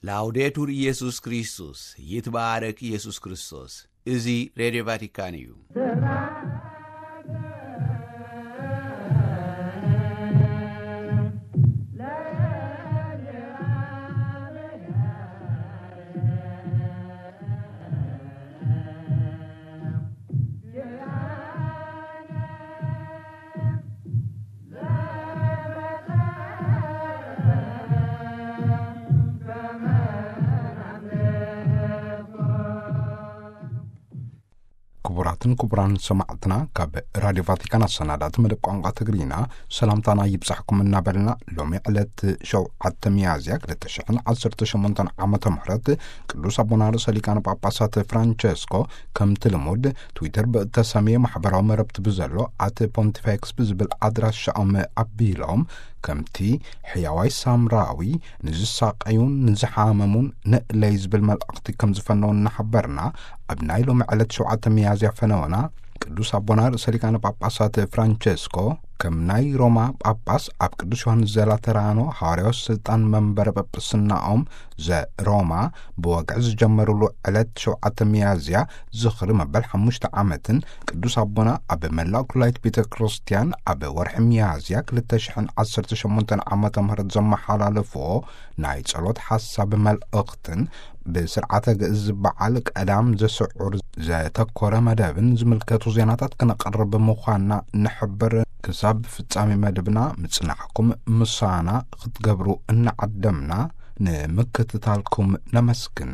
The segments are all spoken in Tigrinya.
ላውዴቱር ኢየሱስ ክርስቶስ፣ ይትባረክ ኢየሱስ ክርስቶስ። እዚ ሬድዮ ቫቲካን እዩ። ክቡራትን ክቡራን ሰማዕትና፣ ካብ ራድዮ ቫቲካን ኣሰናዳእቲ መደብ ቋንቋ ትግርኛ ሰላምታና ይብጻሕኩም እናበልና፣ ሎሚ ዕለት ሸውዓተ ሚያዝያ ክልተ ሽሕን ዓሰርተ ሸሞንተን ዓመተ ምህረት ቅዱስ ኣቦና ርእሰ ሊቃነ ጳጳሳት ፍራንቸስኮ ከምቲ ልሙድ ትዊተር ብእተሰምየ ማሕበራዊ መረብቲ ብዘሎ ኣት ፖንቲፌክስ ብዝብል ኣድራሻኦም ኣቢሎም፣ ከምቲ ሕያዋይ ሳምራዊ ንዝሳቀዩን ንዝሓመሙን ንእለይ ዝብል መልእኽቲ ከም ዝፈነው እናሓበርና፣ ኣብ ናይ ሎሚ ዕለት ሸውዓተ ሚያዝያ ፈነወና ቅዱስ ኣቦና ርእሰ ሊቃነ ጳጳሳት ፍራንቸስኮ ከም ናይ ሮማ ጳጳስ ኣብ ቅዱስ ዮሃንስ ዘላተራኖ ሃዋርያዊ ስልጣን መንበረ ጳጳስናኦም ዘሮማ ብወግዒ ዝጀመሩሉ ዕለት ሸውዓተ ሚያዝያ ዝኽሪ መበል ሓሙሽተ ዓመትን ቅዱስ ኣቦና ኣብ መላእ ኩላይት ቤተ ክርስቲያን ኣብ ወርሒ ሚያዝያ ክልተ ሽሕን ዓሰርተ ሸሞንተን ዓመተ ምህረት ዘመሓላለፍዎ ናይ ጸሎት ሓሳብ መልእኽትን ብስርዓተ ግእዝ በዓል ቀዳም ዘስዑር ዘተኮረ መደብን ዝምልከቱ ዜናታት ክነቕርብ ምዃንና ንሕብር። ክሳብ ፍጻሜ መደብና ምጽናሕኩም ምሳና ክትገብሩ እናዓደምና ንምክትታልኩም ነመስግን።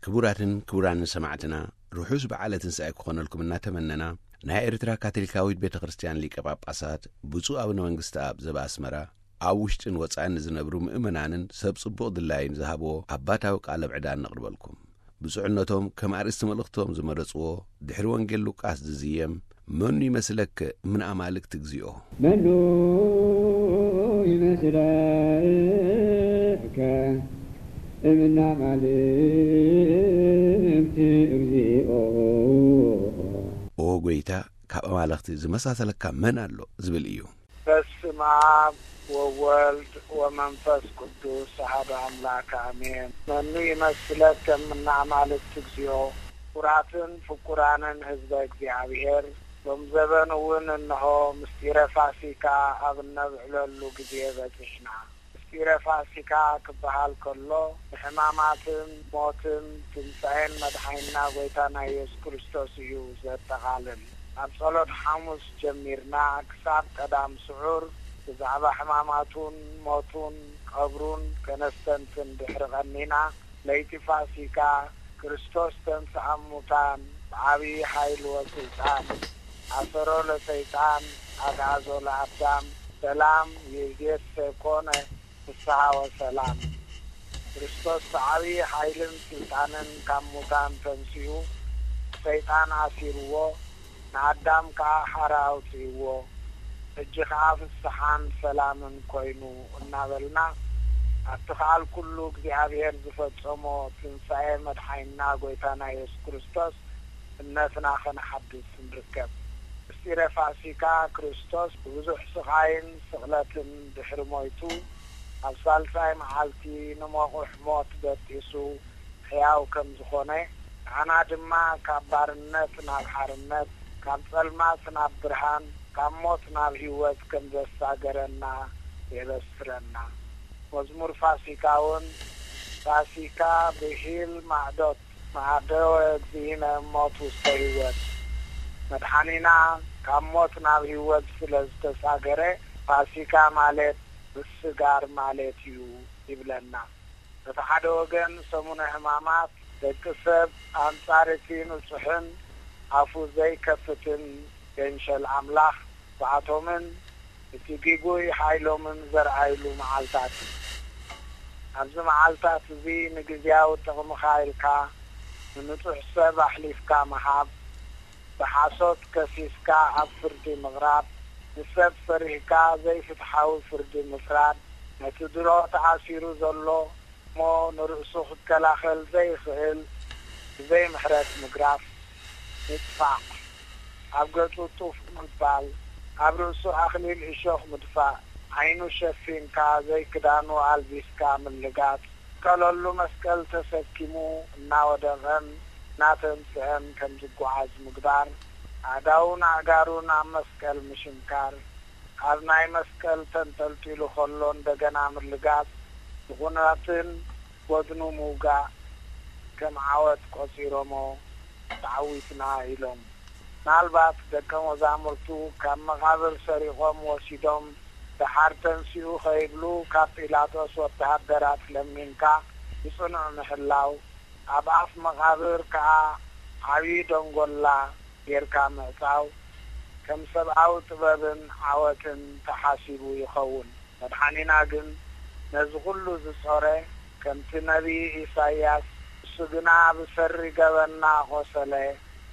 ክቡራትን ክቡራን ሰማዕትና፣ ርሑስ በዓለ ትንሳኤ ክኾነልኩም እናተመነና፣ ናይ ኤርትራ ካቶሊካዊት ቤተ ክርስቲያን ሊቀ ጳጳሳት ብፁዕ ኣቡነ መንግስቲ ኣብ ዘበኣስመራ፣ ኣብ ውሽጥን ወጻእን ንዝነብሩ ምእመናንን ሰብ ጽቡቕ ድላይን ዝሃብዎ ኣባታዊ ቃለ ምዕዳን ነቕርበልኩም። ብፁዕነቶም ከም ኣርእስቲ መልእኽቶም ዝመረጽዎ፣ ድሕሪ ወንጌል ሉቃስ ዝዝየም፣ "መኑ ይመስለከ እምነ ኣማልክት እግዚኦ?" መኑ ይመስለከ እምነ ኣማልክት እግዚኦ? ኦ ጎይታ፣ ካብ ኣማልኽቲ ዝመሳሰለካ መን ኣሎ? ዝብል እዩ። በስመ አብ ወወልድ ወመንፈስ ቅዱስ አሐዱ አምላክ አሜን። መኑ ይመስለከ እምነ አማልክት እግዚኦ። ክቡራትን ፍቁራንን ህዝበ እግዚኣብሔር፣ ሎም ዘበን እውን እንሆ ምስጢረ ፋሲካ ኣብ እነብዕለሉ ግዜ በጺሕና። ምስጢረ ፋሲካ ክበሃል ከሎ፣ ንሕማማትን ሞትን ትንሣኤን መድሓኒና ጐይታና ኢየሱስ ክርስቶስ እዩ ዘጠቓልል። ኣብ ጸሎት ሓሙስ ጀሚርና ክሳብ ቀዳም ስዑር ብዛዕባ ሕማማቱን ሞቱን ቀብሩን ከነስተንትን ድሕሪ ቀኒና፣ ለይቲ ፋሲካ ክርስቶስ ተንሥአ እሙታን ብዓብዪ ሓይሊ ወስልጣን ኣሰሮ ለሰይጣን ኣግዓዞ ለኣዳም ሰላም ይእዜሰ ኮነ ፍስሓ ወሰላም። ክርስቶስ ብዓብዪ ሓይልን ስልጣንን ካብ ሙታን ተንሲኡ፣ ሰይጣን ኣሲርዎ፣ ንኣዳም ከኣ ሓራ ኣውጺእዎ። ሕጂ ከኣ ፍስሓን ሰላምን ኮይኑ እናበልና፣ ኣብቲ ከኣል ኩሉ እግዚኣብሔር ዝፈጸሞ ትንሳኤ መድሓኒና ጐይታና ኢየሱስ ክርስቶስ እምነትና ኸነሓድስ ንርከብ። ምስጢረ ፋሲካ ክርስቶስ ብብዙሕ ስቓይን ስቕለትን ድሕሪ ሞይቱ፣ ኣብ ሳልሳይ መዓልቲ ንመቑሕ ሞት በጢሱ ሕያው ከም ዝኾነ፣ ንዓና ድማ ካብ ባርነት ናብ ሓርነት፣ ካብ ጸልማት ናብ ብርሃን፣ ካብ ሞት ናብ ህይወት ከም ዘሳገረና የበስረና። መዝሙር ፋሲካ እውን፣ ፋሲካ ብሂል ማዕዶት፣ ማዕደወ እግዚእነ ሞት ውስተ ህይወት። መድሓኒና ካብ ሞት ናብ ህይወት ስለ ዝተሳገረ፣ ፋሲካ ማለት ምስጋር ማለት እዩ ይብለና። በቲ ሓደ ወገን ሰሙነ ሕማማት ደቂ ሰብ ኣንጻር እቲ ንጹሕን ኣፉ ዘይከፍትን ገንሸል ኣምላኽ ብኣቶምን እቲ ግጉይ ሓይሎምን ዘርኣይሉ መዓልታት እዩ። ኣብዚ መዓልታት እዚ ንግዝያዊ ጥቕምኻ ኢልካ ንንጹሕ ሰብ ኣሕሊፍካ ምሃብ፣ ብሓሶት ከሲስካ ኣብ ፍርዲ ምቕራብ፣ ንሰብ ፈሪህካ ዘይፍትሓዊ ፍርዲ ምፍራድ፣ ነቲ ድሮ ተኣሲሩ ዘሎ እሞ ንርእሱ ክከላኸል ዘይኽእል ብዘይ ምሕረት ምግራፍ፣ ምጥፋእ፣ ኣብ ገጹ ጡፍ ምባል፣ ኣብ ርእሱ ኣኽሊል እሾኽ ምድፋእ፣ ዓይኑ ሸፊንካ ዘይክዳኑ ኣልቢስካ ምልጋጽ፣ ቀለሉ መስቀል ተሰኪሙ እናወደቐን እናተንስአን ከም ዝጓዓዝ ምግባር፣ ኣእዳውን ኣእጋሩን ኣብ መስቀል ምሽንካር፣ ኣብ ናይ መስቀል ተንጠልጢሉ ከሎ እንደገና ምልጋጽ፣ ብኹናትን ጎድኑ ምውጋእ ከም ዓወት ቆጺሮሞ ተዓዊትና ኢሎም። ምናልባት ደቀ መዛሙርቱ ካብ መቓብር ሰሪቖም ወሲዶም ደሓር ተንሲኡ ከይብሉ ካብ ጲላጦስ ወተሃደራት ለሚንካ ብጽኑዕ ምሕላው፣ ኣብ ኣፍ መቓብር ከኣ ዓብዪ ደንጎላ ጌርካ ምዕጻው ከም ሰብኣዊ ጥበብን ዓወትን ተሓሲቡ ይኸውን። መድሓኒና ግን ነዚ ኹሉ ዝጾረ፣ ከምቲ ነቢይ ኢሳይያስ፣ እሱ ግና ብሰሪ ገበንና ቖሰለ፣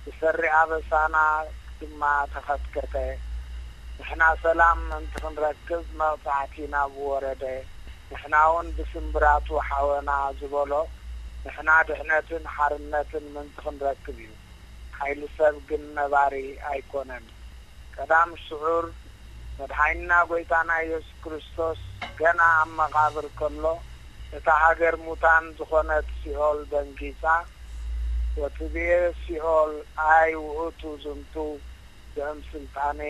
ብሰሪ ኣበሳና ድማ ተኸትከተ። ንሕና ሰላም ምእንቲ ክንረክብ መቕጻዕቲ ናብኡ ወረደ። ንሕና እውን ብስምብራቱ ሓወና ዝበሎ፣ ንሕና ድሕነትን ሓርነትን ምእንቲ ክንረክብ እዩ። ሓይሊ ሰብ ግን ነባሪ ኣይኮነን። ቀዳም ስዑር መድሓኒና ጐይታና ኢየሱስ ክርስቶስ ገና ኣብ መቓብር ከሎ፣ እታ ሃገር ሙታን ዝኾነት ሲኦል ደንጊጻ፣ ወትቤ ሲኦል ኣይ ውእቱ ዝንቱ ዘእም ስልጣኔ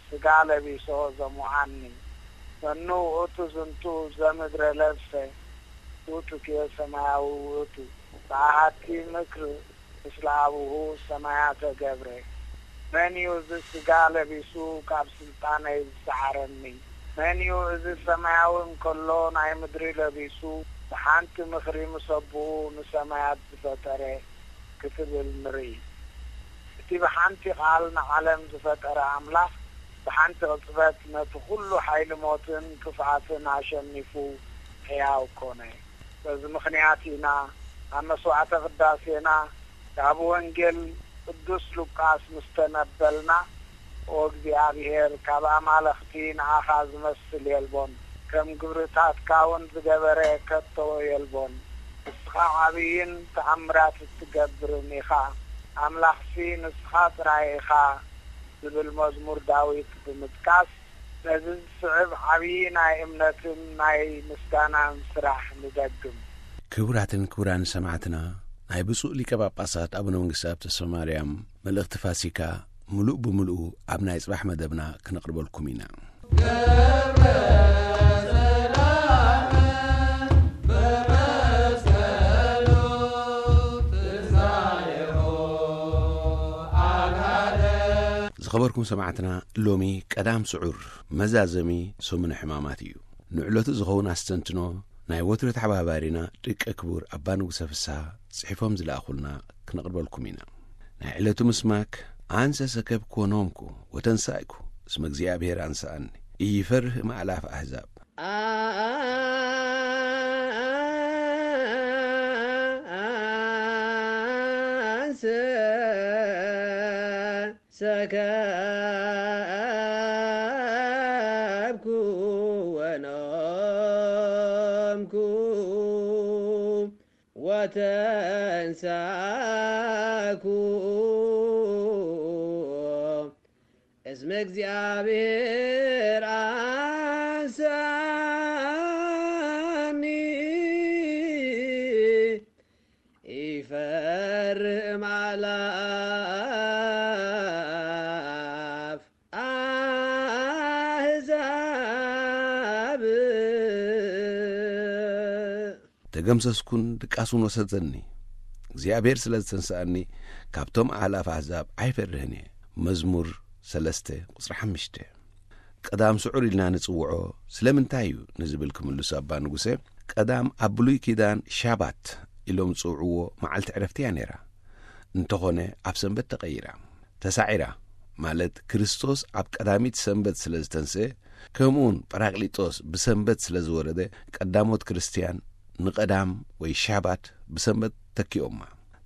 ሥጋ ለቢሶ ዘሙዓኒ፣ መኑ ውእቱ ዝንቱ ዘምድረ ለብሰ ውእቱ ኬ ሰማያዊ ውእቱ፣ በአሐቲ ምክር ምስለ አቡሁ ሰማያተ ገብረ። መን እዩ እዚ ሥጋ ለቢሱ ካብ ስልጣነይ ዝሰዓረኒ? መን እዩ እዚ ሰማያዊ እንከሎ ናይ ምድሪ ለቢሱ ብሓንቲ ምኽሪ ምስ ኣቦኡ ንሰማያት ዝፈጠረ? ክትብል ንርኢ። እቲ ብሓንቲ ቃል ንዓለም ዝፈጠረ ኣምላኽ ብሓንቲ ቅጽበት ነቲ ኩሉ ሓይሊ ሞትን ክፍኣትን ኣሸኒፉ ሕያው ኮነ። በዚ ምኽንያት ኢና ኣብ መስዋዕተ ቅዳሴና ካብ ወንጌል ቅዱስ ሉቃስ ምስ ተነበልና፣ ኦ እግዚኣብሔር፣ ካብ ኣማልኽቲ ንኣኻ ዝመስል የልቦን፣ ከም ግብርታትካ እውን ዝገበረ ከቶ የልቦን። ንስኻ ዓብይን ተኣምራት እትገብርን ኢኻ። ኣምላኽሲ ንስኻ ጥራይ ኢኻ ዝብል መዝሙር ዳዊት ብምጥቃስ፣ ነዚ ዝስዕብ ዓብዪ ናይ እምነትን ናይ ምስጋናን ስራሕ ንደግም። ክቡራትን ክቡራን ሰማዕትና፣ ናይ ብፁዕ ሊቀ ጳጳሳት ኣቡነ መንግስትኣብ ተስፋ ማርያም መልእኽቲ ፋሲካ ምሉእ ብምሉኡ ኣብ ናይ ጽባሕ መደብና ክነቕርበልኩም ኢና። ዝኸበርኩም ሰማዕትና፣ ሎሚ ቀዳም ስዑር መዛዘሚ ሰሙነ ሕማማት እዩ። ንዕለቱ ዝኸውን ኣስተንትኖ ናይ ወትሩ ተሓባባሪና ደቀ ክቡር ኣባ ንጉሰ ፍስሓ ጽሒፎም ዝለኣኹልና ክነቕርበልኩም ኢና። ናይ ዕለቱ ምስማክ፣ ኣንሰ ሰከብኩ ወኖምኩ ወተንሳእኩ እስመ እግዚኣብሔር ኣንሰኣኒ፣ ኢይፈርህ እምኣእላፍ ኣሕዛብ። ኣንሰ ሰከብኩ ወኖምኩ ወተንሳኩ እስመ እግዚኣብሔር አንሳኒ ኢፈርህ እምኣእላፍ ኣሕዛብ። ተገምሰስኩን ድቃሱን ወሰደኒ። እግዚኣብሔር ስለ ዝተንስኣኒ፣ ካብቶም ኣእላፍ ኣሕዛብ ኣይፈርህን እየ። መዝሙር ሰለስተ ቁጽሪ ሓሙሽተ። ቀዳም ስዑር ኢልና ንጽውዖ ስለምንታይ እዩ ንዝብል ክምልሱ ኣባ ንጉሰ፣ ቀዳም ኣብ ብሉይ ኪዳን ሻባት ኢሎም ዝጽውዕዎ መዓልቲ ዕረፍቲ እያ ነይራ። እንተኾነ ኣብ ሰንበት ተቐይራ፣ ተሳዒራ፣ ማለት ክርስቶስ ኣብ ቀዳሚት ሰንበት ስለ ዝተንስአ፣ ከምኡውን ጳራቅሊጦስ ብሰንበት ስለ ዝወረደ፣ ቀዳሞት ክርስትያን ንቐዳም ወይ ሻባት ብሰንበት ተኪኦማ።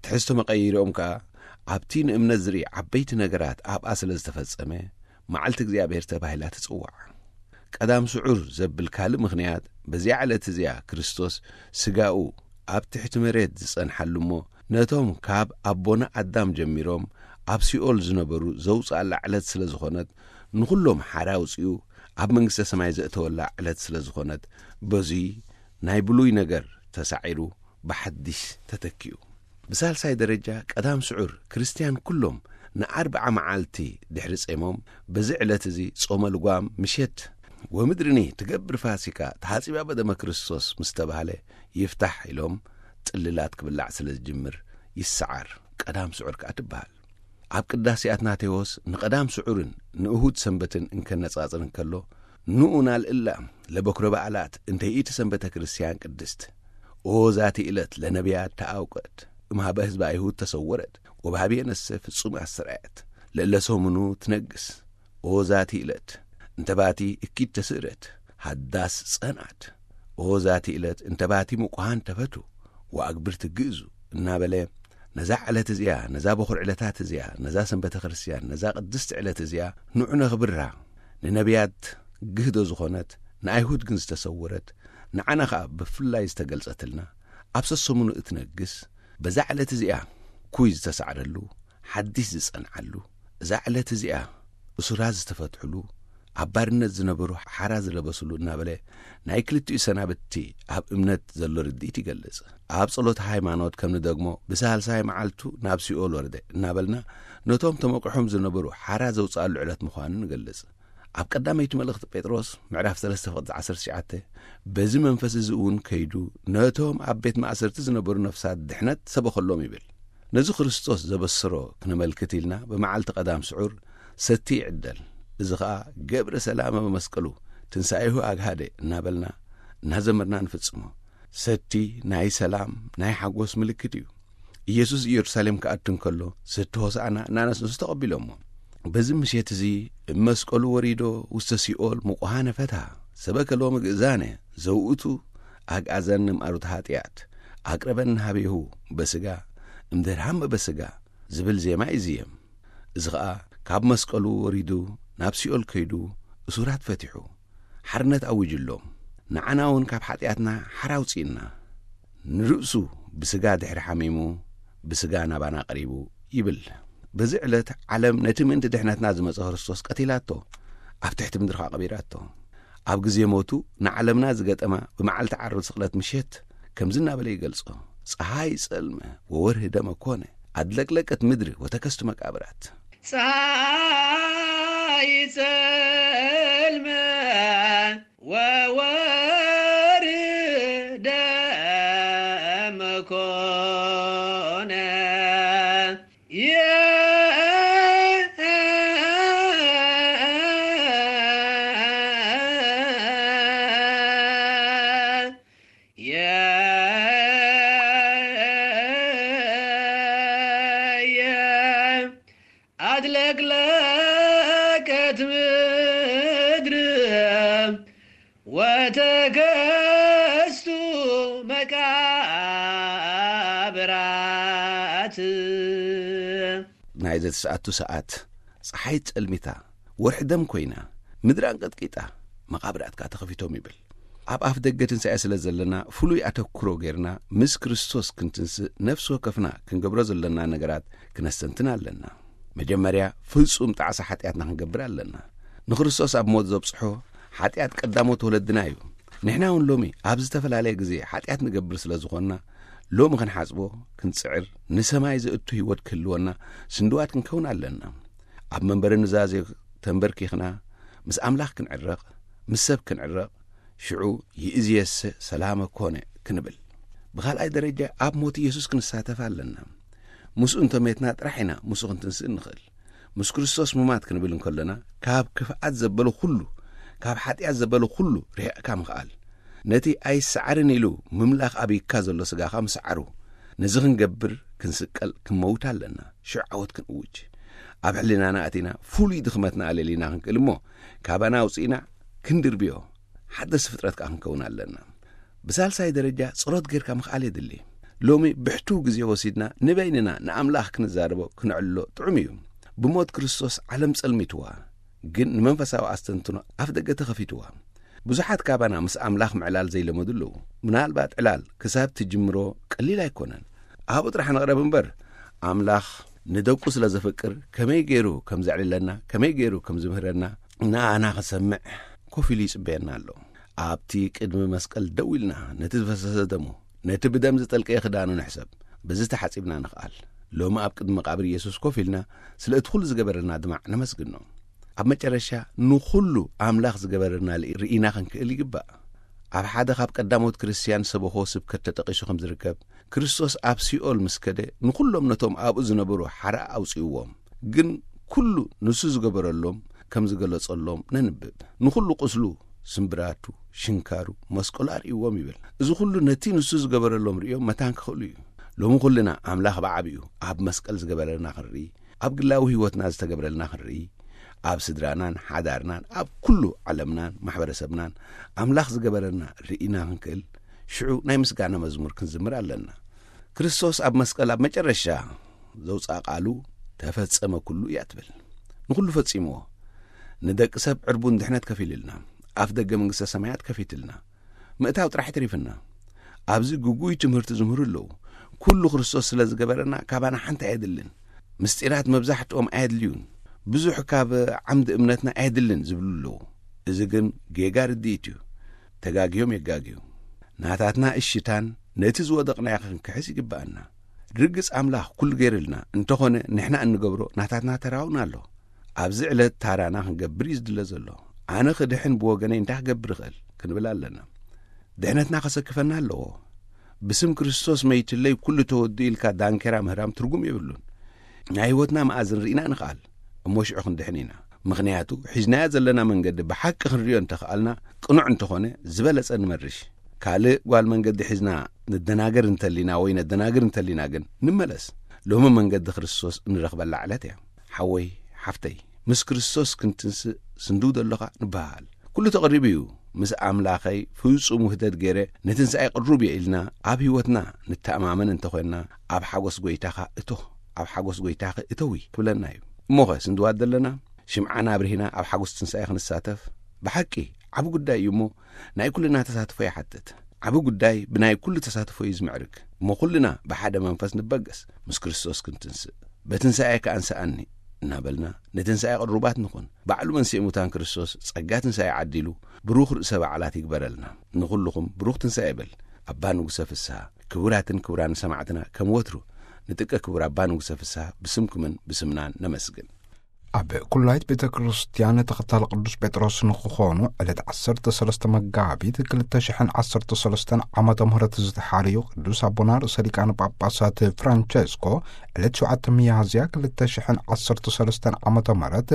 ትሕዝቶ መቐይሮም ከኣ ኣብቲ ንእምነት ዝርኢ ዓበይቲ ነገራት ኣብኣ ስለ ዝተፈጸመ፣ መዓልቲ እግዚኣብሔር ተባሂላ ትጽዋዕ። ቀዳም ስዑር ዘብል ካልእ ምኽንያት፣ በዚኣ ዕለት እዚኣ ክርስቶስ ስጋኡ ኣብ ትሕቲ መሬት ዝጸንሓሉ እሞ፣ ነቶም ካብ ኣቦና ኣዳም ጀሚሮም ኣብ ሲኦል ዝነበሩ ዘውፅኣላ ዕለት ስለ ዝኾነት፣ ንኹሎም ሓራ ኣውፂኡ ኣብ መንግስተ ሰማይ ዘእተወላ ዕለት ስለ ዝኾነት፣ በዙይ ናይ ብሉይ ነገር ተሳዒሩ ብሓድሽ ተተኪኡ። ብሳልሳይ ደረጃ፣ ቀዳም ስዑር ክርስትያን ኩሎም ንኣርብዓ መዓልቲ ድሕሪ ጾሞም፣ በዚ ዕለት እዚ ጾመ ልጓም ምሸት፣ "ወምድርኒ ትገብር ፋሲካ ተሓጺባ በደመ ክርስቶስ" ምስ ተባህለ፣ ይፍታሕ ኢሎም ጽልላት ክብላዕ ስለ ዝጅምር ይሰዓር። ቀዳም ስዑር ከኣ ትበሃል። ኣብ ቅዳሴ ኣትናቴዎስ ንቐዳም ስዑርን ንእሁድ ሰንበትን እንከነጻጽር እንከሎ፣ "ንኡ ናልእላ ለበኩረ በዓላት እንተ ይእቲ ሰንበተ ክርስቲያን ቅድስት፣ ኦ ዛቲ ዕለት ለነቢያት ተኣውቀት፣ እምሃበ ህዝበ ኣይሁድ ተሰወረት፣ ወባህብየ ነሰ ፍጹም ኣስተርኣየት፣ ለእለ ሰሙኑ ትነግስ፣ ኦ ዛቲ ዕለት እንተ ባቲ እኪት ተስእረት፣ ሃዳስ ጸንዓት፣ ኦ ዛቲ ዕለት እንተ ባቲ ምቁሃን ተፈቱ፣ ወኣግብር ትግእዙ" እናበለ፣ ነዛ ዕለት እዚኣ፣ ነዛ በኹር ዕለታት እዚኣ፣ ነዛ ሰንበተ ክርስቲያን፣ ነዛ ቅድስቲ ዕለት እዚኣ ንዑ ነኽብራ። ንነቢያት ግህዶ ዝኾነት፣ ንኣይሁድ ግን ዝተሰወረት፣ ንዓና ኸኣ ብፍላይ ዝተገልጸትልና፣ ኣብ ሰሰሙኑ እትነግስ፣ በዛ ዕለት እዚኣ ኩይ ዝተሳዕረሉ፣ ሓድሽ ዝጸንዓሉ፣ እዛ ዕለት እዚኣ እሱራት ዝተፈትሑሉ፣ ኣብ ባርነት ዝነበሩ ሓራ ዝለበሱሉ እናበለ፣ ናይ ክልቲኡ ሰናብቲ ኣብ እምነት ዘሎ ርድኢት ይገልጽ። ኣብ ጸሎተ ሃይማኖት ከም ንደግሞ፣ "ብሳልሳይ መዓልቱ ናብ ሲኦል ወረደ" እናበልና፣ ነቶም ተመቂሖም ዝነበሩ ሓራ ዘውጽኣሉ ዕለት ምዃኑ ንገልጽ። ኣብ ቀዳመይቲ መልእኽቲ ጴጥሮስ ምዕራፍ ሰለስተ ፍቕዲ ዓሰርተ ትሽዓተ፣ "በዚ መንፈስ እዚ እውን ከይዱ፣ ነቶም ኣብ ቤት ማእሰርቲ ዝነበሩ ነፍሳት ድሕነት ሰበኸሎም" ይብል። ነዚ ክርስቶስ ዘበሰሮ ክነመልክት ኢልና፣ ብመዓልቲ ቀዳም ስዑር ሰቲ ይዕደል። እዚ ኸኣ "ገብረ ሰላመ በመስቀሉ ትንሳኤሁ ኣግሃደ" እናበልና፣ እናዘመርና ንፍጽሞ። ሰቲ ናይ ሰላም፣ ናይ ሓጎስ ምልክት እዩ። ኢየሱስ ኢየሩሳሌም ክኣቱ እንከሎ፣ ሰቲ ሆሳዕና እናነስነሱ ተቐቢሎሞ። በዚ ምሸት እዚ፣ "እብ መስቀሉ ወሪዶ ውስተ ሲኦል ምቁሃነ ፈትሃ፣ ሰበከ ሎሚ ግእዛነ፣ ዘውእቱ ኣግኣዘን እምኣሩት ኃጢኣት፣ ኣቅረበን ሃቤሁ በስጋ፣ እምድህር ሃመ በስጋ" ዝብል ዜማ ይዝየም። እዚ ኸኣ ካብ መስቀሉ ወሪዱ፣ ናብ ሲኦል ከይዱ፣ እሱራት ፈቲሑ፣ ሓርነት ኣዊጅሎም፣ ንዓና እውን ካብ ሓጢኣትና ሓራ ኣውጺእና፣ ንርእሱ ብስጋ ድሕሪ ሓሚሙ፣ ብስጋ ናባና ቀሪቡ ይብል። በዚ ዕለት ዓለም ነቲ ምእንቲ ድሕነትና ዝመጸ ክርስቶስ ቀቲላቶ፣ ኣብ ትሕቲ ምድሪ ኸኣ ቀቢራቶ። ኣብ ግዜ ሞቱ ንዓለምና ዝገጠማ ብመዓልቲ ዓርቢ ስቕለት ምሸት ከምዚ እናበለ ይገልጾ፣ "ፀሓይ ጸልመ ወወርህ ደመ ኮነ፣ ኣድለቅለቀት ምድሪ ወተከስቱ መቃብራት።" ፀሓይ ጸልመ ወወርህ ደመ ኮነ። ኣድለቅለቀት ምድር ወተከስቱ መቃብራት። ናይ ዘተሰኣቱ ሰዓት፣ ፀሓይ ጸልሚታ፣ ወርሒ ደም ኮይና፣ ምድሪ ኣንቀጥቂጣ፣ መቓብራት ከኣ ተኸፊቶም ይብል። ኣብ ኣፍ ደገ ትንሳኤ ስለ ዘለና፣ ፍሉይ ኣተኩሮ ጌርና ምስ ክርስቶስ ክንትንስእ ነፍሲ ወከፍና ክንገብሮ ዘለና ነገራት ክነስተንትን ኣለና። መጀመርያ ፍጹም ጣዕሳ ሓጢኣትና ክንገብር ኣለና። ንክርስቶስ ኣብ ሞት ዘብጽሖ ሓጢኣት ቀዳሞት ወለድና እዩ። ንሕና እውን ሎሚ ኣብ ዝተፈላለየ ግዜ ሓጢኣት ንገብር ስለ ዝኾንና፣ ሎሚ ክንሓጽቦ ክንጽዕር፣ ንሰማይ ዘእቱ ህይወት ክህልወና ስንድዋት ክንከውን ኣለና። ኣብ መንበረ ኑዛዜ ተንበርኪኽና ምስ ኣምላኽ ክንዕረቕ፣ ምስ ሰብ ክንዕረቕ፣ ሽዑ ይእዝየሰ ሰላመ ኮነ ክንብል። ብኻልኣይ ደረጃ ኣብ ሞት ኢየሱስ ክንሳተፍ ኣለና። ምስኡ እንተሜትና ጥራሕ ኢና ምስኡ ክንትንስእ እንኽእል። ምስ ክርስቶስ ሙማት ክንብል እንከሎና፣ ካብ ክፍኣት ዘበለ ኩሉ፣ ካብ ሓጢኣት ዘበለ ኩሉ ርሒቕካ ምኽኣል። ነቲ ኣይሰዓርን ኢሉ ምምላኽ ኣበይካ ዘሎ ስጋኻ ምስዓሩ። ነዚ ክንገብር ክንስቀል ክንመውት ኣለና። ሽዑ ዓወት ክንእውጅ። ኣብ ሕሊናና ኣቲና ፍሉይ ድኽመትና ኣለሊና ክንክእል እሞ፣ ካባና ኣውጺእና ክንድርብዮ፣ ሓደስቲ ፍጥረት ከኣ ክንከውን ኣለና። ብሳልሳይ ደረጃ ጸሎት ጌርካ ምኽኣል የድሊ። ሎሚ ብሕቱው ግዜ ወሲድና ንበይንና ንኣምላኽ ክንዛረቦ ክነዕልሎ ጥዑም እዩ። ብሞት ክርስቶስ ዓለም ጸልሚትዋ፣ ግን ንመንፈሳዊ ኣስተንትኖ ኣፍ ደገ ተኸፊትዋ። ብዙሓት ካባና ምስ ኣምላኽ ምዕላል ዘይለመዱ ኣለዉ። ምናልባት ዕላል ክሳብ ትጅምሮ ቀሊል ኣይኮነን። ኣብኡ ጥራሕ ንቕረብ እምበር፣ ኣምላኽ ንደቁ ስለ ዘፍቅር፣ ከመይ ገይሩ ከም ዘዕልለና፣ ከመይ ገይሩ ከም ዝምህረና፣ ንኣና ክሰምዕ ኮፍ ኢሉ ይጽበየና ኣሎ። ኣብቲ ቅድሚ መስቀል ደው ኢልና፣ ነቲ ዝፈሰሰ ደሙ፣ ነቲ ብደም ዝጠልቀየ ክዳኑ ንሕሰብ። በዚ ተሓጺብና ንኽኣል። ሎሚ ኣብ ቅድሚ መቓብር ኢየሱስ ኮፍ ኢልና፣ ስለ እቲ ኩሉ ዝገበረልና ድማ ነመስግኖ። ኣብ መጨረሻ፣ ንኹሉ ኣምላኽ ዝገበረልና ልኢ-፣ ርኢና ክንክእል ይግባእ። ኣብ ሓደ ካብ ቀዳሞት ክርስትያን ሰበኾ ስብከት ተጠቒሱ ከም ዝርከብ፣ ክርስቶስ ኣብ ሲኦል ምስ ከደ፣ ንኹሎም ነቶም ኣብኡ ዝነበሩ ሓራ ኣውጽእዎም። ግን ኩሉ ንሱ ዝገበረሎም ከም ዝገለጸሎም ነንብብ። ንኹሉ ቁስሉ፣ ስምብራቱ፣ ሽንካሩ፣ መስቀሉ ኣርእይዎም ይብል። እዚ ኩሉ ነቲ ንሱ ዝገበረሎም ርእዮም መታን ክኽእሉ እዩ። ሎሚ ኩልና ኣምላኽ ብዓቢኡ ኣብ መስቀል ዝገበረልና ክንርኢ፣ ኣብ ግላዊ ህይወትና ዝተገብረልና ክንርኢ፣ ኣብ ስድራናን ሓዳርናን ኣብ ኩሉ ዓለምናን ማሕበረሰብናን ኣምላኽ ዝገበረልና ርኢና ክንክእል፣ ሽዑ ናይ ምስጋና መዝሙር ክንዝምር ኣለና። ክርስቶስ ኣብ መስቀል ኣብ መጨረሻ ዘውፅኣ ቃሉ፣ "ተፈጸመ ኩሉ" እያ ትብል። ንኹሉ ፈጺምዎ። ንደቂ ሰብ ዕርቡን ድሕነት ከፊልልና፣ ኣፍ ደገ መንግስተ ሰማያት ከፊትልና፣ ምእታው ጥራሕ ተሪፍና። ኣብዚ ግጉይ ትምህርቲ ዝምህሩ ኣለዉ። "ኩሉ ክርስቶስ ስለ ዝገበረና፣ ካባና ሓንቲ ኣየድልን። ምስጢራት መብዛሕትኦም ኣየድልዩን። ብዙሕ ካብ ዓምዲ እምነትና ኣየድልን" ዝብሉ ኣለዉ። እዚ ግን ጌጋ ርድኢት እዩ። ተጋግዮም የጋግዩ። ናታትና እሽታን ነቲ ዝወደቕናዮ ክንክሕስ ይግብኣና። ርግጽ ኣምላኽ ኩሉ ገይርልና፣ እንተኾነ ንሕና እንገብሮ ናታትና ተራ እውን ኣሎ። ኣብዚ ዕለት ታራና ክንገብር እዩ ዝድለ ዘሎ። "ኣነ ክድሕን ብወገነይ እንታይ ክገብር እኽእል?" ክንብል ኣለና። ድሕነትና ከሰክፈና ኣለዎ። "ብስም ክርስቶስ መይትለይ ኩሉ ተወዱ" ኢልካ ዳንኬራ ምህራም ትርጉም የብሉን። ናይ ህይወትና መኣዝን ርኢና ንኽኣል፣ እሞ ሽዑ ክንድሕን ኢና። ምኽንያቱ፣ ሒዝናዮ ዘለና መንገዲ ብሓቂ ክንርእዮ እንተኽኣልና፣ ቅኑዕ እንተኾነ፣ ዝበለጸ ንመርሽ። ካልእ ጓል መንገዲ ሒዝና ንደናገር እንተሊና ወይ ነደናግር እንተሊና ግን፣ ንመለስ። ሎሚ መንገዲ ክርስቶስ እንረኽበላ ዕለት እያ። ሓወይ፣ ሓፍተይ፣ ምስ ክርስቶስ ክንትንስእ ስንድው ደለኻ ንበሃል። ኩሉ ተቐሪቡ እዩ። ምስ ኣምላኸይ ፍጹም ውህደት ገይረ ንትንሳኤ ቅሩብ እየ ኢልና ኣብ ህይወትና ንተኣማመን እንተኾይንና፣ ኣብ ሓጎስ ጎይታኻ እቶ፣ ኣብ ሓጎስ ጎይታኺ እተዊ ክብለና እዩ። እሞኸ ስንድዋት ደለና? ሽምዓና ኣብርሂና ኣብ ሓጎስ ትንሳኤ ክንሳተፍ ብሓቂ ዓቢ ጉዳይ እዩ እሞ፣ ናይ ኩልና ተሳትፎ ይሓትት። ዓቢ ጉዳይ ብናይ ኩሉ ተሳትፎ እዩ ዝምዕርግ። እሞ ኩልና ብሓደ መንፈስ ንበገስ፣ ምስ ክርስቶስ ክንትንስእ። "በትንሳኤ ከኣ እንስኣኒ" እናበልና ንትንሳኤ ቅሩባት ንኹን። ባዕሉ መንስኤ ሙታን ክርስቶስ ጸጋ ትንሳኤ ዓዲሉ ብሩኽ ርእሰ በዓላት ይግበረልና። ንኹልኹም ብሩኽ ትንሳኤ ይበል ኣባ ንጉሰ ፍስሃ። ክቡራትን ክቡራን ሰማዕትና፣ ከም ወትሩ ንጥቀ ክቡር ኣባ ንጉሰ ፍስሃ ብስምኩምን ብስምናን ነመስግን። ኣብ ኩላይት ቤተ ክርስቲያን ተኸታሊ ቅዱስ ጴጥሮስ ንክኾኑ ዕለት ዓሰርተ ሰለስተ መጋቢት ክልተ ሽሕን ዓሰርተ ሰለስተን ዓመተ ምህረት ዝተሓርዩ ቅዱስ ኣቦና ርእሰ ሊቃነ ጳጳሳት ፍራንቸስኮ ዕለት ሸውዓተ ሚያዝያ ክልተ ሽሕን ዓሰርተ ሰለስተን ዓመተ ምህረት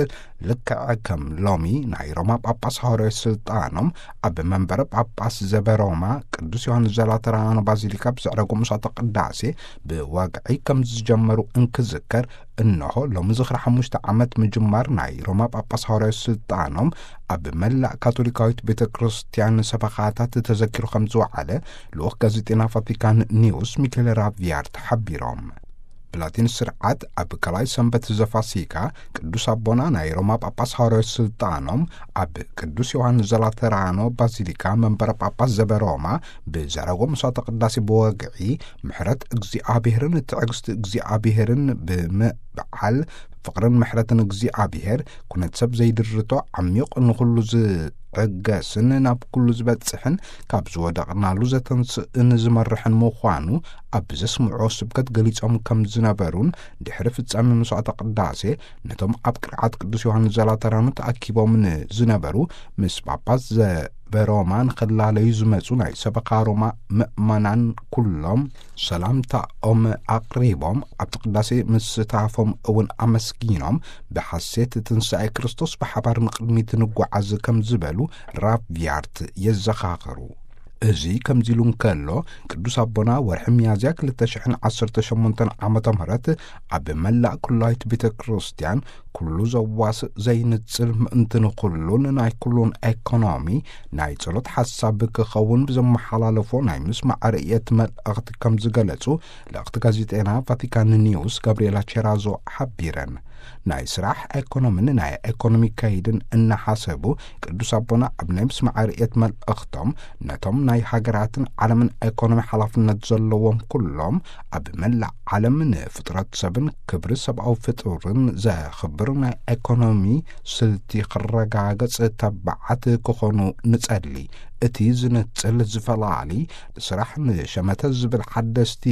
ልክዕ ከም ሎሚ ናይ ሮማ ጳጳስ ሃዋርያዊ ስልጣኖም ኣብ መንበረ ጳጳስ ዘበሮማ ቅዱስ ዮሃንስ ዘላተራኖ ባዚሊካ ብዘዕረጎ ምሳተ ቅዳሴ ብወግዒ ከም ዝጀመሩ እንክዝከር፣ እንሆ ሎሚ ዝኽሪ ሓሙሽተ ዓመት ምጅማር ናይ ሮማ ጳጳስ ሃዋርያዊ ስልጣኖም ኣብ መላእ ካቶሊካዊት ቤተ ክርስቲያን ሰበኻታት ተዘኪሩ ከም ዝወዓለ ልኡኽ ጋዜጤና ቫቲካን ኒውስ ሚኬል ራቪያርት ሓቢሮም። ብላቲን ስርዓት ኣብ ካልኣይ ሰንበት ዘፋሲካ ቅዱስ ኣቦና ናይ ሮማ ጳጳስ ሃዋርያዊ ስልጣኖም ኣብ ቅዱስ ዮሃንስ ዘላተራኖ ባዚሊካ መንበረ ጳጳስ ዘበሮማ ብዘረጎ ምሳተ ቅዳሴ ብወግዒ ምሕረት እግዚኣብሔርን ትዕግስቲ እግዚኣብሔርን ብምብዓል ፍቕርን ምሕረትን እግዚኣብሔር ኩነት ሰብ ዘይድርቶ ዓሚቕ ንኹሉ ዝዕገስን ናብ ኩሉ ዝበጽሕን ካብ ዝወደቕናሉ ዘተንስእን ዝመርሕን ምዃኑ ኣብ ዘስምዖ ስብከት ገሊጾም ከም ዝነበሩን ድሕሪ ፍጻሜ መስዋዕተ ቅዳሴ ነቶም ኣብ ቅርዓት ቅዱስ ዮሃንስ ዘላተራኖ ተኣኪቦም ንዝነበሩ ምስ ጳጳስ ዘበሮማ ንኽላለዩ ዝመጹ ናይ ሰበኻ ሮማ ምእመናን ኩሎም ሰላምታኦም ኣቕሪቦም ኣብቲ ቅዳሴ ምስታፎም እውን ኣመስጊኖም ብሓሴት ትንሳኤ ክርስቶስ ብሓባር ንቕድሚት ንጓዓዝ ከም ዝበሉ ራቪያርት የዘኻኽሩ። እዚ ከምዚ ኢሉ እንከሎ ቅዱስ ኣቦና ወርሒ ሚያዝያ ክልተ ሽሕን ዓሰርተ ሸሞንተን ዓመተ ምህረት ኣብ መላእ ኩላይት ቤተ ክርስቲያን ኩሉ ዘዋስእ ዘይንጽል ምእንቲ ንኹሉን ናይ ኩሉን ኤኮኖሚ ናይ ጸሎት ሓሳብ ክኸውን ብዘመሓላለፎ ናይ ምስማዕ ርእየት መልእኽቲ ከም ዝገለጹ ልእኽቲ ጋዜጤና ቫቲካን ኒውስ ጋብሪኤላ ቼራዞ ሓቢረን። ናይ ስራሕ ኤኮኖምን ናይ ኤኮኖሚ ከይድን እናሓሰቡ፣ ቅዱስ ኣቦና ኣብ ናይ ምስማዕ ርእየት መልእኽቶም፣ ነቶም ናይ ሃገራትን ዓለምን ኤኮኖሚ ሓላፍነት ዘለዎም ኩሎም፣ ኣብ መላእ ዓለም ንፍጥረት ሰብን ክብሪ ሰብኣዊ ፍጡርን ዘኽብር ናይ ኤኮኖሚ ስልቲ ክረጋገጽ ተባዓት ክኾኑ ንጸሊ። እቲ ዝንጽል ዝፈላሊ ስራሕ ንሸመተ ዝብል ሓደስቲ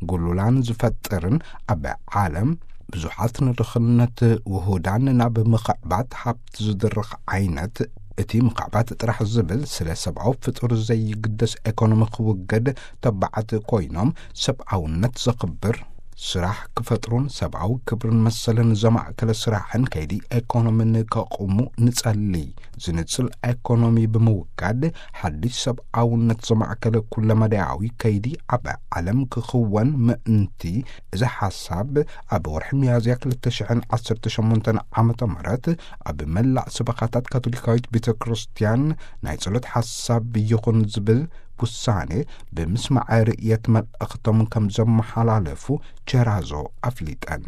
ጉሉላን ዝፈጥርን፣ ኣብ ዓለም ብዙሓት ንድኽነት ውሁዳን ናብ ምኽዕባት ሃብቲ ዝድርኽ ዓይነት፣ እቲ ምኽዕባት ጥራሕ ዝብል ስለ ሰብኣዊ ፍጡር ዘይግደስ ኤኮኖሚ ክውገድ ተባዓት ኮይኖም፣ ሰብኣውነት ዘኽብር ስራሕ ክፈጥሩን ሰብኣዊ ክብርን መሰልን ዘማእከለ ስራሕን ከይዲ ኤኮኖምን ከቑሙ ንጸሊ። ዝንጽል ኤኮኖሚ ብምውጋድ፣ ሓድሽ ሰብኣውነት ዘማእከለ ኩለመዳያዊ ከይዲ ኣብ ዓለም ክኽወን ምእንቲ፣ እዚ ሓሳብ ኣብ ወርሒ ሚያዝያ ክልተ ሽሕን ዓሰርተ ሸሞንተን ዓመተ ምህረት ኣብ መላእ ሰበኻታት ካቶሊካዊት ቤተ ክርስቲያን ናይ ጸሎት ሓሳብ ይኹን ዝብል ውሳኔ ብምስማዕ ርእየት መልእኽቶም ከም ዘመሓላለፉ ቸራዞ ኣፍሊጠን።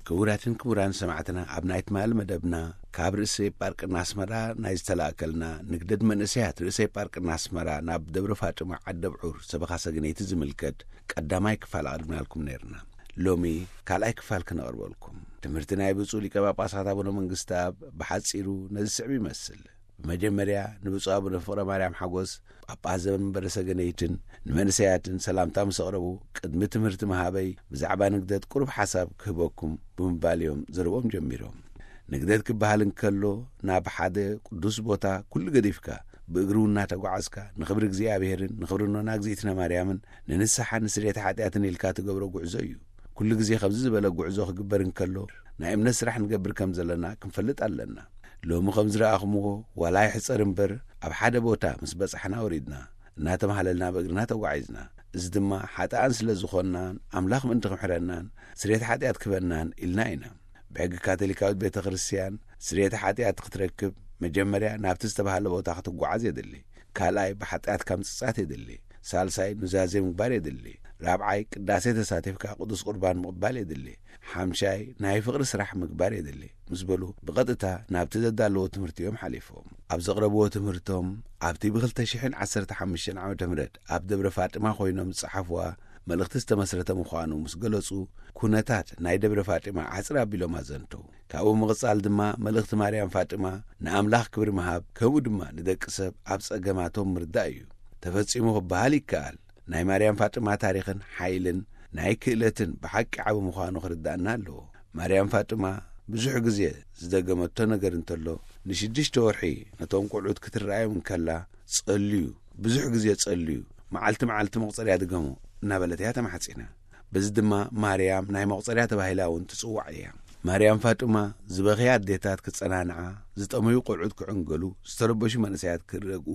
ክቡራትን ክቡራን ሰማዕትና፣ ኣብ ናይ ትማሊ መደብና ካብ ርእሰ ኤጳርቅና ኣስመራ ናይ ዝተላእከልና ንግደት መንእሰያት ርእሰ ኤጳርቅና ኣስመራ ናብ ደብረ ፋጥማ ዓደብዑር ሰበኻ ሰገነይቲ ዝምልከት ቀዳማይ ክፋል ኣቕሪብናልኩም ነይርና። ሎሚ ካልኣይ ክፋል ክነቕርበልኩም። ትምህርቲ ናይ ብፁዕ ሊቀ ጳጳሳት ኣቡነ መንግስቲ ኣብ ብሓጺሩ ነዚ ስዕብ ይመስል። ብመጀመርያ ንብፁዕ ኣቡነ ፍቕረ ማርያም ሓጎስ ጳጳስ ዘመንበረ ሰገነይትን ንመንእሰያትን ሰላምታ ምስ ኣቕረቡ፣ ቅድሚ ትምህርቲ ምሃበይ ብዛዕባ ንግደት ቁሩብ ሓሳብ ክህበኩም ብምባል እዮም ዘረብኦም ጀሚሮም። ንግደት ክበሃል እንከሎ፣ ናብ ሓደ ቅዱስ ቦታ ኩሉ ገዲፍካ፣ ብእግሪ እውን እናተጓዓዝካ፣ ንኽብሪ እግዚኣብሔርን ንኽብሪ እኖና እግዚኣብእትና ማርያምን ንንስሓን ንስርየተ ሓጢኣትን ኢልካ ትገብሮ ጉዕዞ እዩ። ኩሉ ግዜ ከምዚ ዝበለ ጉዕዞ ክግበር እንከሎ፣ ናይ እምነት ስራሕ ንገብር ከም ዘለና ክንፈልጥ ኣለና። ሎሚ ከም ዝረኣኹምዎ፣ ዋላ ይሕጸር እምበር፣ ኣብ ሓደ ቦታ ምስ በጻሕና ወሪድና፣ እናተማህለልና ብእግርና ተጓዒዝና። እዚ ድማ ሓጥኣን ስለ ዝኾንናን፣ ኣምላኽ ምእንቲ ክምሕረናን፣ ስርየት ሓጢኣት ክህበናን ኢልና ኢና። ብሕጊ ካቶሊካዊት ቤተ ክርስቲያን፣ ስርየት ሓጢኣት ክትረክብ፣ መጀመርያ ናብቲ ዝተባህለ ቦታ ክትጓዓዝ የድሊ። ካልኣይ፣ ብሓጢኣትካ ምጽጻት የድሊ። ሳልሳይ፣ ኑዛዜ ምግባር የድሊ። ራብዓይ፣ ቅዳሴ ተሳቲፍካ ቅዱስ ቁርባን ምቕባል የድሊ። ሓምሻይ፣ ናይ ፍቕሪ ስራሕ ምግባር የድሊ፣ ምስ በሉ፣ ብቐጥታ ናብቲ ዘዳለዎ ትምህርቲ እዮም ሓሊፎም። ኣብ ዘቕረብዎ ትምህርቶም፣ ኣብቲ ብ ክልተ ሽሕን ዓሰርተ ሓሙሽተን ዓመተ ምህረት ኣብ ደብረ ፋጥማ ኮይኖም ዝጸሓፍዋ መልእኽቲ ዝተመስረተ ምዃኑ ምስ ገለጹ፣ ኩነታት ናይ ደብረ ፋጥማ ዓጽር ኣቢሎም ኣዘንተው። ካብኡ ምቕጻል ድማ፣ መልእኽቲ ማርያም ፋጥማ ንኣምላኽ ክብሪ ምሃብ፣ ከምኡ ድማ ንደቂ ሰብ ኣብ ጸገማቶም ምርዳእ እዩ። ተፈጺሙ ክበሃል ይከኣል። ናይ ማርያም ፋጥማ ታሪኽን ሓይልን ናይ ክእለትን ብሓቂ ዓቢ ምዃኑ ክርዳእና ኣለዎ። ማርያም ፋጥማ ብዙሕ ግዜ ዝደገመቶ ነገር እንተሎ፣ ንሽዱሽተ ወርሒ ነቶም ቆልዑት ክትረኣዮም እንከላ፣ "ጸልዩ፣ ብዙሕ ግዜ ጸልዩ፣ መዓልቲ መዓልቲ መቑጸርያ ድገሙ" እናበለት እያ ተማሕጺና። በዚ ድማ ማርያም ናይ መቑጸርያ ተባሂላ እውን ትጽዋዕ እያ። ማርያም ፋጥማ ዝበኽያ ኣዴታት ክጸናንዓ፣ ዝጠመዩ ቆልዑት ክዕንገሉ፣ ዝተረበሹ መንእሰያት ክረግኡ፣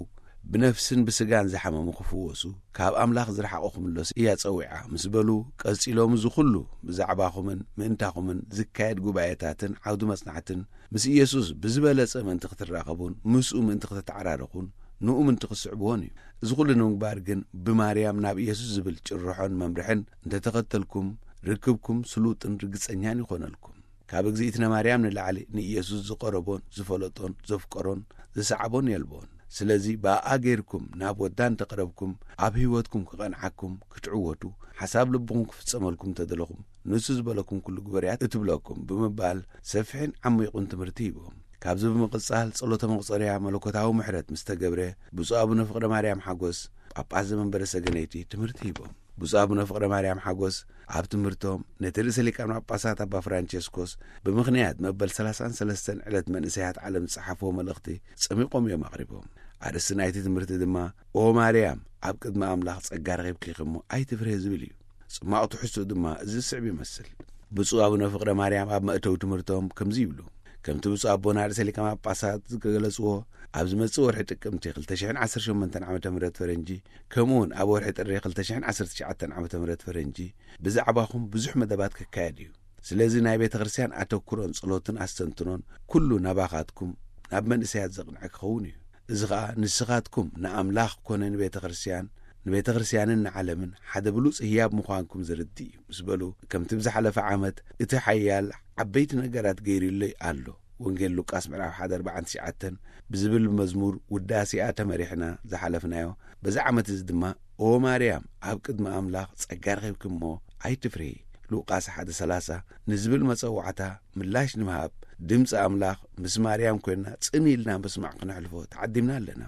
ብነፍስን ብስጋን ዝሓመሙ ክፍወሱ፣ ካብ ኣምላኽ ዝረሓቑ ክምለሱ እያ ጸዊዓ ምስ በሉ፣ ቀጺሎም፣ እዚ ኩሉ ብዛዕባኹምን ምእንታኹምን ዝካየድ ጉባኤታትን ዓውዲ መጽናዕትን፣ ምስ ኢየሱስ ብዝበለጸ ምእንቲ ክትራኸቡን ምስኡ ምእንቲ ክትተዓራረኹን ንኡ ምእንቲ ክትስዕብዎን እዩ። እዚ ኩሉ ንምግባር ግን፣ ብማርያም ናብ ኢየሱስ ዝብል ጭርሖን መምርሕን እንተተኸተልኩም፣ ርክብኩም ስሉጥን ርግጸኛን ይኾነልኩም። ካብ እግዚኣብእትነ ማርያም ንላዕሊ ንኢየሱስ ዝቐረቦን ዝፈለጦን ዘፍቀሮን ዝሰዓቦን የልቦን። ስለዚ ብኣኣ ጌርኩም ናብ ወዳ እንተቐረብኩም፣ ኣብ ህይወትኩም ክቐንዓኩም፣ ክትዕወቱ፣ ሓሳብ ልብኹም ክፍጸመልኩም እንተደለኹም፣ ንሱ ዝበለኩም ኩሉ ግበርያ እትብለኩም ብምባል ሰፊሕን ዓሚቑን ትምህርቲ ሂቦም። ካብዚ ብምቕጻል ጸሎተ መቑጸርያ መለኮታዊ ምሕረት ምስ ተገብረ፣ ብፁዕ ኣቡነ ፍቕረ ማርያም ሓጎስ ጳጳስ ዘመንበረ ሰገነይቲ ትምህርቲ ሂቦም። ብፁዕ ኣቡነ ፍቕረ ማርያም ሓጎስ ኣብ ትምህርቶም ነቲ ርእሰ ሊቃነ ጳጳሳት ኣባ ፍራንቸስኮስ ብምኽንያት መበል ሰላሳን ሰለስተን ዕለት መንእሰያት ዓለም ዝጸሓፍዎ መልእኽቲ ጸሚቖም እዮም ኣቕሪቦም። ኣርእስቲ ናይቲ ትምህርቲ ድማ "ኦ ማርያም፣ ኣብ ቅድሚ ኣምላኽ ጸጋ ረኺብኪ እሞ ኣይትፍርሂ" ዝብል እዩ። ጽማቕ ትሕዝትኡ ድማ እዚ ዝስዕብ ይመስል። ብፁዕ ኣቡነ ፍቕረ ማርያም ኣብ መእተዊ ትምህርቶም ከምዚ ይብሉ። ከምቲ ብፁዕ ኣቦና ርእሰ ሊቃነ ጳጳሳት ዝገለጽዎ፣ ኣብ ዝመጽእ ወርሒ ጥቅምቲ ክልተ ሽሕን ዓሰርተ ሸሞንተን ዓመተ ምህረት ፈረንጂ፣ ከምኡ እውን ኣብ ወርሒ ጥሪ ክልተ ሽሕን ዓሰርተ ትሽዓተን ዓመተ ምህረት ፈረንጂ፣ ብዛዕባኹም ብዙሕ መደባት ክካየድ እዩ። ስለዚ ናይ ቤተ ክርስቲያን ኣተኩሮን ጸሎትን ኣስተንትኖን ኩሉ ናባኻትኩም፣ ናብ መንእሰያት ዘቕንዐ ክኸውን እዩ። እዚ ኸኣ ንስኻትኩም ንኣምላኽ ኮነ ንቤተ ክርስቲያን ንቤተ ክርስቲያንን ንዓለምን ሓደ ብሉጽ ህያብ ምዃንኩም ዝርድእ እዩ ምስ በሉ፣ ከምቲ ብዝሓለፈ ዓመት እቲ ሓያል ዓበይቲ ነገራት ገይሩለይ ኣሎ። ወንጌል ሉቃስ ምዕራፍ ሓደ ኣርባዕን ትሽዓተን ብዝብል መዝሙር ውዳሴኣ ተመሪሕና ዝሓለፍናዮ። በዚ ዓመት እዚ ድማ ኦ ማርያም፣ ኣብ ቅድሚ ኣምላኽ ጸጋ ረኺብኪ እሞ ኣይትፍርሂ። ሉቃስ ሓደ ሰላሳ ንዝብል መጸዋዕታ ምላሽ ንምሃብ፣ ድምፂ ኣምላኽ ምስ ማርያም ኮይና ጽን ኢልና ምስማዕ ክነሕልፎ ተዓዲምና ኣለና።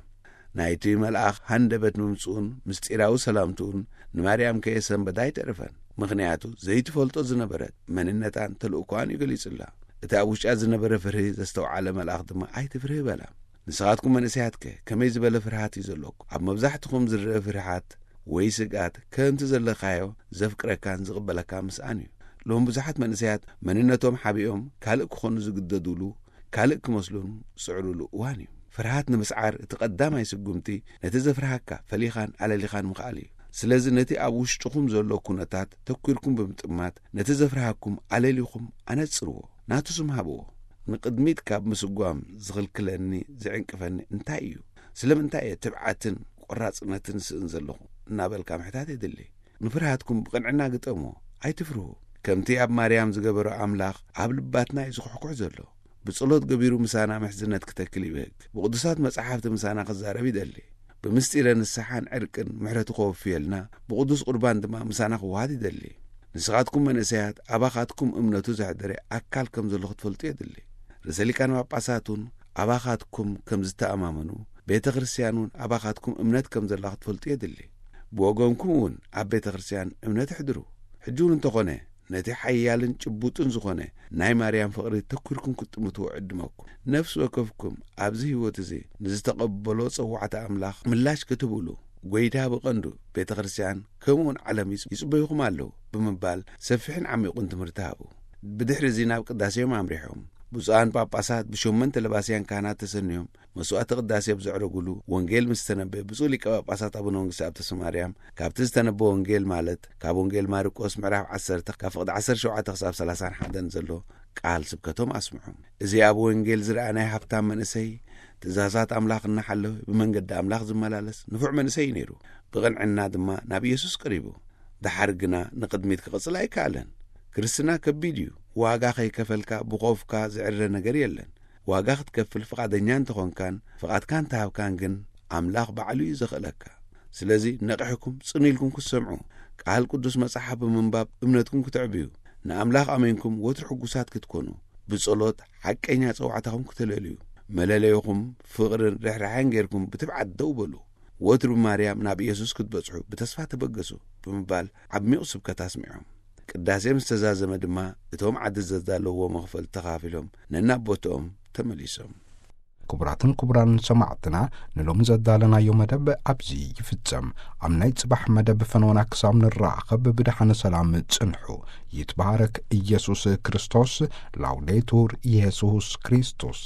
ናይቲ መልኣኽ ሃንደበት ምምጽኡን ምስጢራዊ ሰላምትኡን ንማርያም ከየሰንበዳ ኣይተረፈን። ምኽንያቱ ዘይትፈልጦ ዝነበረት መንነታን ተልእኮኣን እዩ ገሊጹላ። እቲ ኣብ ውሽጣ ዝነበረ ፍርሂ ዘስተውዓለ መልኣኽ ድማ ኣይትፍርሂ በላ። ንስኻትኩም መንእሰያትከ ከመይ ዝበለ ፍርሃት እዩ ዘለኩም? ኣብ መብዛሕትኹም ዝረአ ፍርሃት ወይ ስግኣት ከምቲ ዘለኻዮ ዘፍቅረካን ዝቕበለካ ምስኣን እዩ። ሎም ብዙሓት መንእሰያት መንነቶም ሓቢኦም ካልእ ክኾኑ ዝግደዱሉ፣ ካልእ ክመስሉን ዝጽዕሩሉ እዋን እዩ። ፍርሃት ንምስዓር እቲ ቀዳማይ ስጉምቲ ነቲ ዘፍርሃካ ፈሊኻን ኣለሊኻን ምኽኣል እዩ። ስለዚ ነቲ ኣብ ውሽጥኹም ዘሎ ኩነታት ተኲርኩም ብምጥማት ነቲ ዘፍርሃኩም ኣለሊኹም ኣነጽርዎ፣ ናቱ ስም ሃብዎ። ንቕድሚት ካብ ምስጓም ዝኽልክለኒ፣ ዝዕንቅፈኒ እንታይ እዩ? ስለምንታይ እየ ትብዓትን ቆራጽነትን ስእን ዘለኹ? እናበልካ ምሕታት የድሊ። ንፍርሃትኩም ብቕንዕና ግጠምዎ፣ ኣይትፍርሁ። ከምቲ ኣብ ማርያም ዝገበሮ ኣምላኽ ኣብ ልባትና እዩ ዝኹሕኩሕ ዘሎ። ብጸሎት ገቢሩ ምሳና ምሕዝነት ክተክል ይብህግ። ብቕዱሳት መጻሕፍቲ ምሳና ክዛረብ ይደሊ። ብምስጢረ ንስሓን ዕርቅን ምሕረቱ ከወፍየልና፣ ብቕዱስ ቁርባን ድማ ምሳና ክወሃድ ይደሊ። ንስኻትኩም መንእሰያት ኣባኻትኩም እምነቱ ዘሕደረ ኣካል ከም ዘሎ ክትፈልጡ የድሊ። ርእሰ ሊቃነ ጳጳሳት እውን ኣባኻትኩም ከም ዝተኣማመኑ፣ ቤተ ክርስቲያን እውን ኣባኻትኩም እምነት ከም ዘላ ክትፈልጡ የድሊ። ብወገንኩም እውን ኣብ ቤተ ክርስቲያን እምነት ኣሕድሩ። ሕጂ እውን እንተኾነ ነቲ ሓያልን ጭቡጥን ዝኾነ ናይ ማርያም ፍቕሪ ተኲርኩም ክትጥምትዎ ዕድመኩም። ነፍሲ ወከፍኩም ኣብዚ ህይወት እዚ ንዝተቐበሎ ጸዋዕታ ኣምላኽ ምላሽ ክትብሉ፣ ጐይታ ብቐንዱ ቤተ ክርስቲያን ከምኡውን ዓለም ይጽ-፣ ይጽበዩኹም ኣለዉ ብምባል ሰፊሕን ዓሚቑን ትምህርቲ ሃቡ። ብድሕሪ እዚ ናብ ቅዳሴ እዮም ኣምሪሖም። ብፁዓን ጳጳሳት ብሸሞንተ ለባስያን ካህናት ተሰንዮም መስዋዕተ ቅዳሴ ኣብ ዘዕረጉሉ፣ ወንጌል ምስ ተነበየ፣ ብፁዕ ሊቀ ጳጳሳት ኣቡነ መንግስቲ ኣብ ተስፋ ማርያም ካብቲ ዝተነበ ወንጌል፣ ማለት ካብ ወንጌል ማርቆስ ምዕራፍ ዓሰርተ ካብ ፍቕዲ ዓሰርተ ሸውዓተ ክሳብ ሰላሳን ሓደን ዘሎ ቃል ስብከቶም ኣስምዖም። እዚ ኣብ ወንጌል ዝረኣ ናይ ሃብታም መንእሰይ፣ ትእዛዛት ኣምላኽ እናሓለወ ብመንገዲ ኣምላኽ ዝመላለስ ንፉዕ መንእሰይ እዩ ነይሩ። ብቕንዕና ድማ ናብ ኢየሱስ ቀሪቡ። ደሓር ግና ንቕድሚት ክቕጽል ኣይከኣለን። ክርስትና ከቢድ እዩ። ዋጋ ከይከፈልካ ብኾፍካ ዝዕረ ነገር የለን። ዋጋ ክትከፍል ፍቓደኛ እንተኾንካን ፍቓድካ እንተሃብካን ግን ኣምላኽ ባዕሉ እዩ ዘኽእለካ። ስለዚ ነቒሕኩም ጽን ኢልኩም ክትሰምዑ፣ ቃል ቅዱስ መጽሓፍ ብምንባብ እምነትኩም ክተዕብዩ፣ ንኣምላኽ ኣመንኩም ወትሩ ሕጉሳት ክትኮኑ፣ ብጸሎት ሓቀኛ ጸዋዕታኹም ክተለልዩ፣ መለለይኹም ፍቕርን ርሕራሐን ጌርኩም ብትብዓት ደው በሉ። ወትሩ ብማርያም ናብ ኢየሱስ ክትበጽሑ ብተስፋ ተበገሱ ብምባል ዓሚቕ ስብከት ኣስሚዖም። ቅዳሴ ምስ ተዛዘመ ድማ እቶም ዓዲ ዘዳለውዎ መኽፈል ተኻፊሎም ነናብ ቦትኦም ተመሊሶም። ክቡራትን ክቡራን ሰማዕትና፣ ንሎሚ ዘዳለናዮ መደብ ኣብዚ ይፍጸም። ኣብ ናይ ጽባሕ መደብ ፈነወና ክሳብ ንራኸብ ብድሓነ ሰላም ጽንሑ። ይትባረክ ኢየሱስ ክርስቶስ። ላውዴቱር ኢየሱስ ክርስቶስ።